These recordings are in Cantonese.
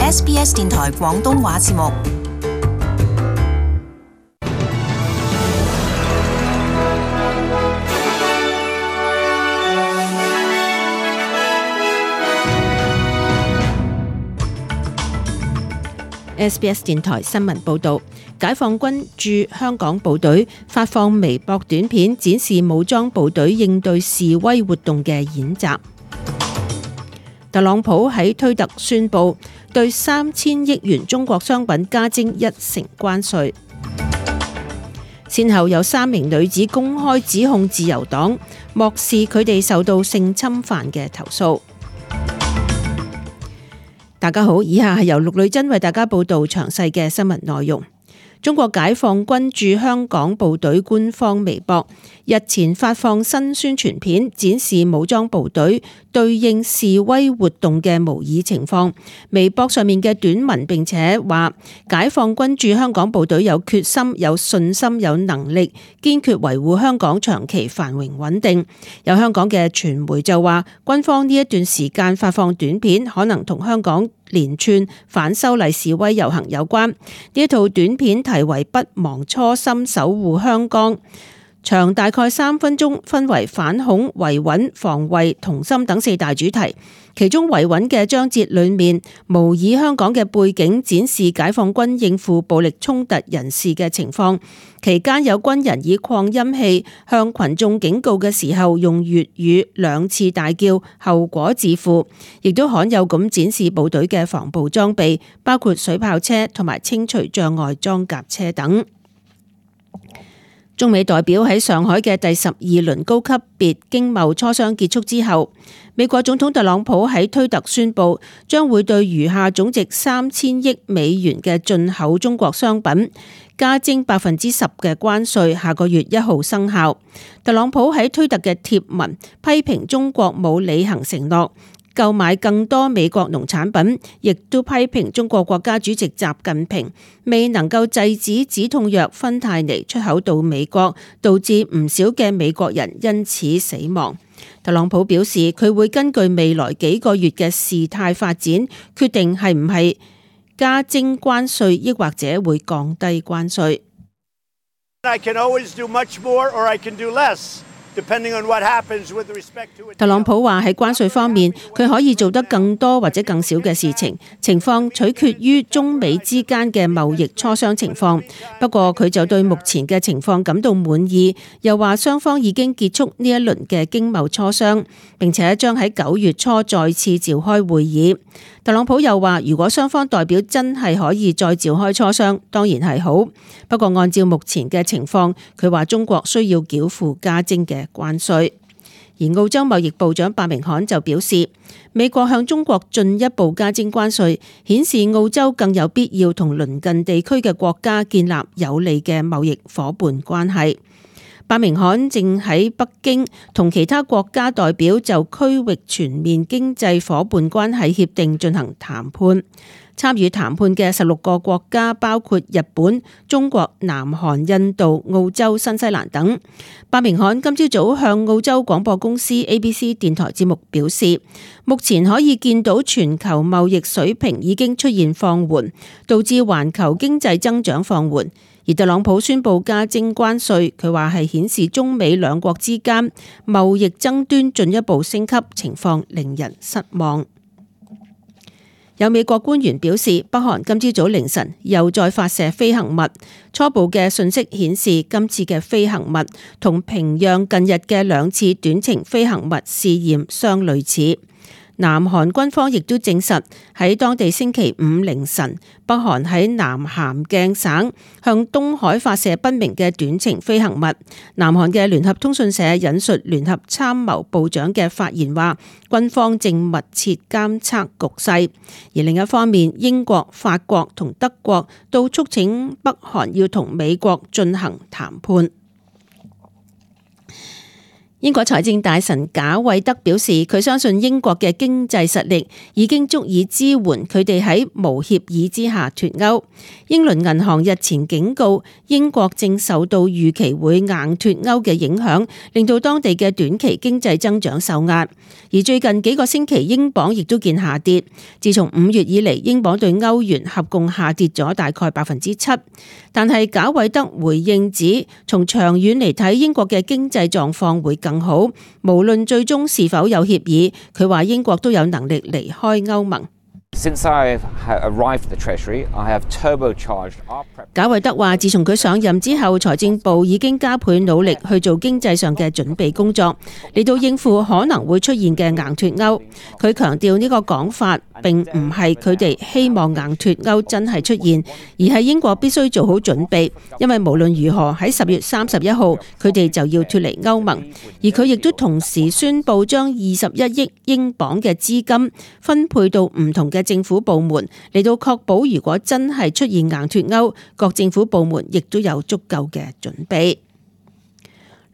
SBS 電台廣東話節目。SBS 電台新聞報導，解放軍駐香港部隊發放微博短片，展示武裝部隊應對示威活動嘅演習。特朗普喺推特宣布對3000億元中國商品加徵1%關稅。先後有3名女子公開指控自由黨漠視佢哋受到性侵犯嘅投訴。大家好，以下係由陸女真為大家報道詳細嘅新聞內容。中國解放軍駐香港部隊官方微博日前發放新宣傳片，展示武裝部隊對應示威活動嘅模擬情況。微博上面嘅短文並且話，解放軍駐香港部隊有決心、有信心、有能力，堅決維護香港長期繁榮穩定。有香港嘅傳媒就話，軍方呢一段時間發放短片，可能同香港連串反修例示威遊行有關。呢一套短片題為《不忘初心，守護香港》，長大概3分鐘，分為反恐、維穩、防衛、同心等4大主題。其中維穩嘅章節裏面，模擬香港嘅背景，展示解放軍應付暴力衝突人士嘅情況。期間有軍人以擴音器向群眾警告嘅時候，用粵語2次大叫，後果自負。亦都罕有咁展示部隊嘅防暴裝備，包括水炮車同埋清除障礙裝甲車等。中美代表喺上海嘅第12輪高級別經貿磋商結束之後，美國總統特朗普喺推特宣布，將會對餘下總值3000億美元嘅進口中國商品加徵10%嘅關稅，下個月1號生效。特朗普喺推特嘅貼文批評中國冇履行承諾，購買更多美國農產品，亦都批評中國國家主席習近平未能夠制止止痛藥芬太尼出口到美國，導致唔少嘅美國人因此死亡。特朗普表示，佢會根據未來幾個月嘅事態發展，決定係唔係加徵關稅，抑或者會降低關稅。特朗普話喺關稅方面，佢可以做得更多或者更少嘅事情，情況取決於中美之間嘅貿易磋商情況。不過佢就對目前嘅情況感到滿意，又話雙方已經結束呢一輪嘅經貿磋商，並且將喺9月初再次召開會議。特朗普又話，如果雙方代表真係可以再召開磋商，當然係好。不過按照目前嘅情況，佢話中國需要繳付加徵嘅關稅。而澳洲貿易部長白明罕就表示，美國向中國進一步加徵關稅，顯示澳洲更有必要同鄰近地區嘅國家建立有利嘅貿易夥伴關係。白明罕正喺北京同其他國家代表就區域全面經濟夥伴關係協定進行談判。參與談判嘅16個國家包括日本、中國、南韓、印度、澳洲、新西蘭等。白明罕今朝早向澳洲廣播公司 ABC 電台節目表示，目前可以見到全球貿易水平已經出現放緩，導致環球經濟增長放緩。而特朗普宣布加徵關稅，佢話係顯示中美兩國之間貿易爭端進一步升級，情況令人失望。有美國官員表示，北韓今朝早凌晨又再發射飛行物，初步嘅信息顯示今次嘅飛行物同平壤近日嘅2次短程飛行物試驗相類似。南韓軍方亦都證實喺當地星期5凌晨，北韓喺南咸鏡省向東海發射不明嘅短程飛行物。南韓嘅聯合通訊社引述聯合參謀部長嘅發言話，軍方正密切監測局勢。而另一方面，英國、法國同德國都促請北韓要同美國進行談判。英國財政大臣賈偉德表示，佢相信英國嘅經濟實力已經足以支援佢哋喺無協議之下脫歐。英倫銀行日前警告，英國正受到預期會硬脫歐嘅影響，令到當地嘅短期經濟增長受壓。而最近幾個星期，英鎊亦都見下跌。自從5月以嚟，英鎊對歐元合共下跌咗大概7%。但係賈偉德回應指，從長遠嚟睇，英國嘅經濟狀況會更好，無論最終是否有協議，佢話英國都有能力離開歐盟。賈偉德話，自從佢上任之後，財政部已經加倍努力去做經濟上嘅準備工作，嚟到應付可能會出現嘅硬脫歐。佢強調呢個講法並唔係佢哋希望硬脫歐真係出現，而係英國必須做好準備，因為無論如何喺10月31號佢哋就要脫離歐盟。而佢亦都同時宣布將21億英鎊嘅資金分配到唔同嘅政府部門，嚟到確保如果真係出現硬脫歐，各政府部門亦都有足夠嘅準備。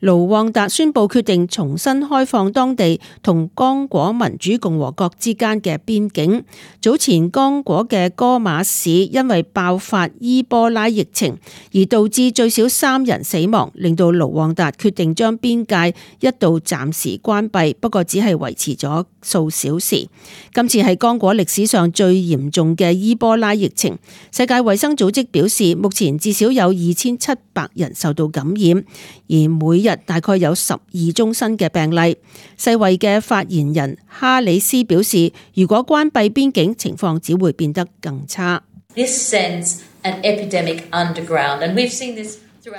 盧旺達宣布決定重新開放當地同剛果民主共和國之間嘅邊境。早前剛果嘅戈馬市因為爆發伊波拉疫情而導致最少3人死亡，令到盧旺達決定將邊界一度暫時關閉，不過只係維持咗數小時。今次係剛果歷史上最嚴重嘅伊波拉疫情。世界衛生組織表示，目前至少有2700人受到感染，而每日大概有12宗新嘅病例。世衛嘅發言人哈里斯表示，如果關閉邊境，情況只會變得更差。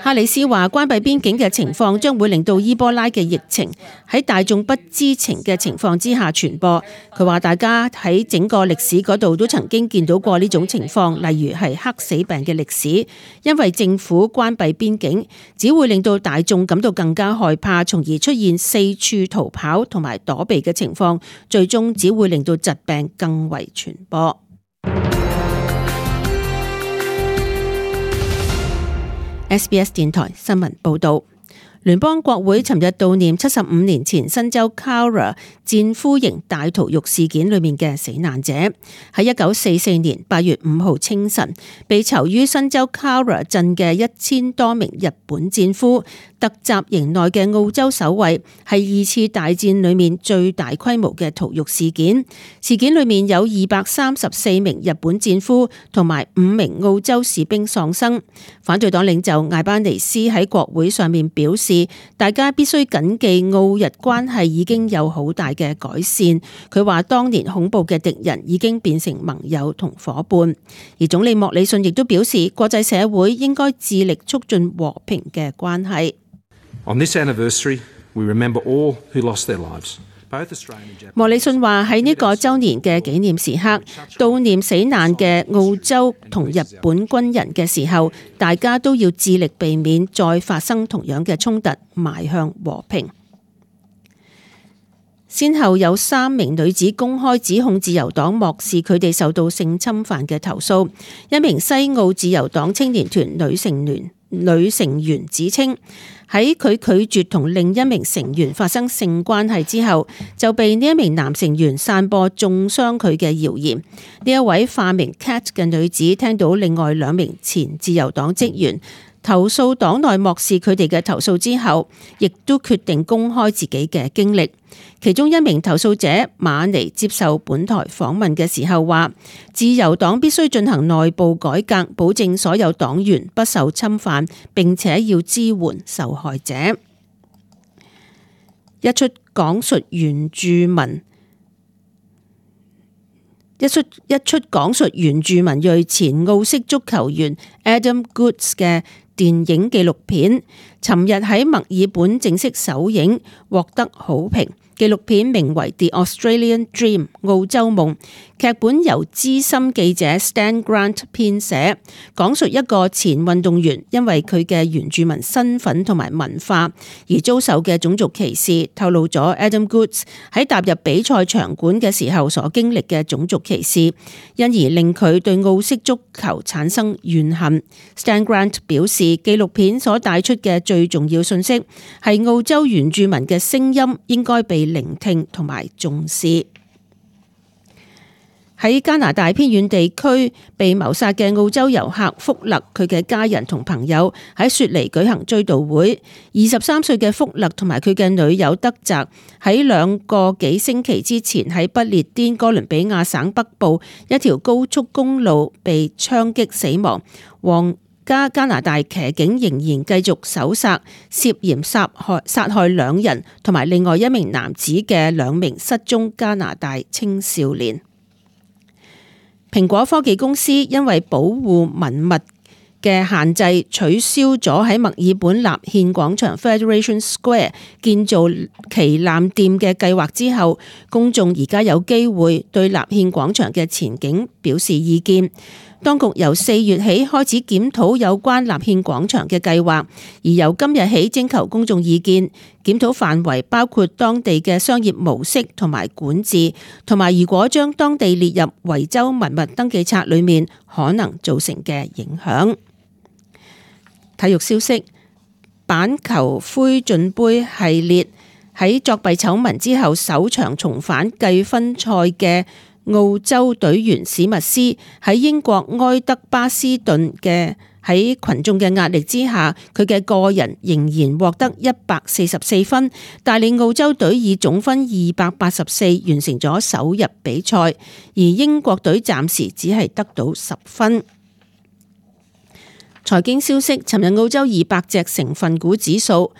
哈里斯話，關閉邊境嘅情況將會令到伊波拉嘅疫情喺大眾不知情嘅情況之下傳播。佢話大家喺整個歷史嗰度都曾經見到過呢種情況，例如係黑死病嘅歷史。因為政府關閉邊境，只會令到大眾感到更加害怕，從而出現四處逃跑同埋躲避嘅情況，最終只會令到疾病更為傳播。SBS 電台新聞報道，聯邦國會尋日悼念75年前新州 Cowra 戰俘營大屠獄事件裏面嘅死難者。喺1944年8月5號清晨，被囚於新州 Cowra 鎮嘅1000多名日本戰俘突襲營內嘅澳洲守衛，係2次大戰裏面最大規模嘅屠獄事件。事件裏面有234名日本戰俘同埋5名澳洲士兵喪生。反對黨領袖艾班尼斯喺國會上面表示，大家必須謹記澳日關係已經有好大嘅改善。佢話當年恐怖嘅敵人已經變成盟友同夥伴。而總理莫里遜亦都表示，國際社會應該致力促進和平嘅關係。On this anniversary, we remember all who lost their lives. 莫里遜話喺呢個週年嘅紀念時刻，悼念死難嘅澳洲同日本軍人嘅時候，大家都要致力避免再發生同樣嘅衝突，邁向和平。先後有3名女子公開指控自由黨漠視佢哋受到性侵犯嘅投訴。一名西澳自由黨青年團女成員指稱，喺佢拒絕同另一名成員發生性關係之後，就被呢一名男成員散播中傷佢嘅謠言。呢一位化名 Cat 嘅女子聽到另外2名前自由黨職員投訴黨內漠視佢哋嘅投訴之後，亦都決定公開自己嘅經歷。其中一名投訴者馬尼接受本台訪問嘅時候話，自由黨必須進行內部改革，保證所有黨員不受侵犯，並且要支援受害者。一出講述原住民裔前澳式足球員 Adam Goodes 嘅電影紀錄片，尋日喺墨爾本正式首映，獲得好評。紀錄片名為《The Australian Dream》澳洲夢，劇本由資深記者 Stan Grant 編寫，講述一個前運動員因為佢嘅原住民身份同埋文化而遭受嘅種族歧視，透露咗 Adam Goodes 喺踏入比賽場館嘅時候所經歷嘅種族歧視，因而令佢對澳式足球產生怨恨。Stan Grant 表示，紀錄片所帶出嘅最重要信息係澳洲原住民嘅聲音應該被聆聽同埋重視。喺加拿大偏遠地區被謀殺嘅澳洲遊客福勒，佢嘅家人同朋友喺雪梨舉行追悼會。23歲嘅福勒同埋佢嘅女友德澤喺2個幾星期之前喺不列顛哥倫比亞省北部一條高速公路被槍擊死亡。皇家加拿大騎警仍然繼續搜殺涉嫌殺害2人同埋另外1名男子嘅2名失蹤加拿大青少年。蘋果科技公司因為保護文物嘅限制，取消咗喺墨爾本立憲廣場 Federation Square 建造旗艦店嘅計劃之後，公眾而家有機會對立憲廣場嘅前景表示意見。當局由4月起開始檢討有關立憲廣場嘅計劃，而由今日起徵求公眾意見。檢討範圍包括當地嘅商業模式同埋管治，同埋如果將當地列入維州文物登記冊裏面可能造成嘅影響。體育消息：板球灰進杯系列喺作弊醜聞之後首場重返計分賽嘅澳洲隊員史密斯喺英國埃德巴斯頓嘅喺群眾嘅壓力之下，佢嘅個人仍然獲得144分，帶領澳洲隊以總分284完成咗首日比賽，而英國隊暫時只係得到10分。財經消息：尋日澳洲200隻成分股指數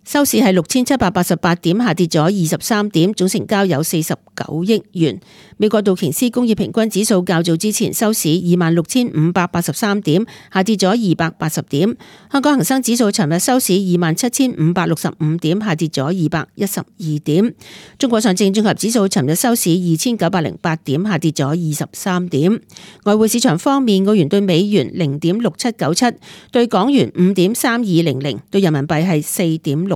收市係6788點，下跌咗23點，總成交有49億元。美國道瓊斯工業平均指數較早之前收市26,583點，下跌咗280點。香港恒生指數尋日收市27,565點，下跌咗212點。中國上證綜合指數尋日收市2,908點，下跌咗23點。外匯市場方面，澳元對美元0.6797，對港元5.3200，對人民幣係4.6897。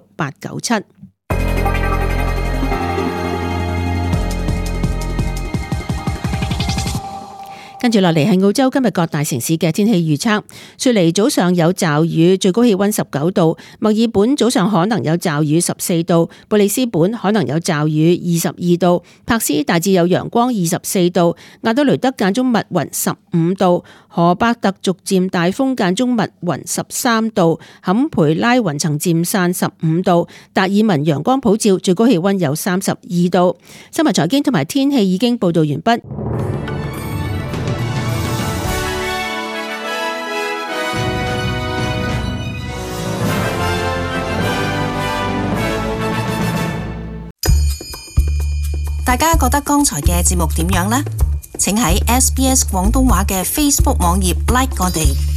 跟住落嚟係澳洲今日各大城市嘅天氣預測。雪梨早上有驟雨，最高氣溫19度；墨爾本早上可能有驟雨14度；布里斯本可能有驟雨22度；柏斯大致有陽光24度；亞德雷德間中密雲15度；荷伯特逐漸大風間中密雲13度；坎培拉雲層漸散15度；達爾文陽光普照，最高氣溫有32度。新聞財經同埋天氣已經報道完畢。大家覺得剛才嘅節目點樣呢？請喺SBS 廣東話嘅 Facebook 網頁 like 我哋。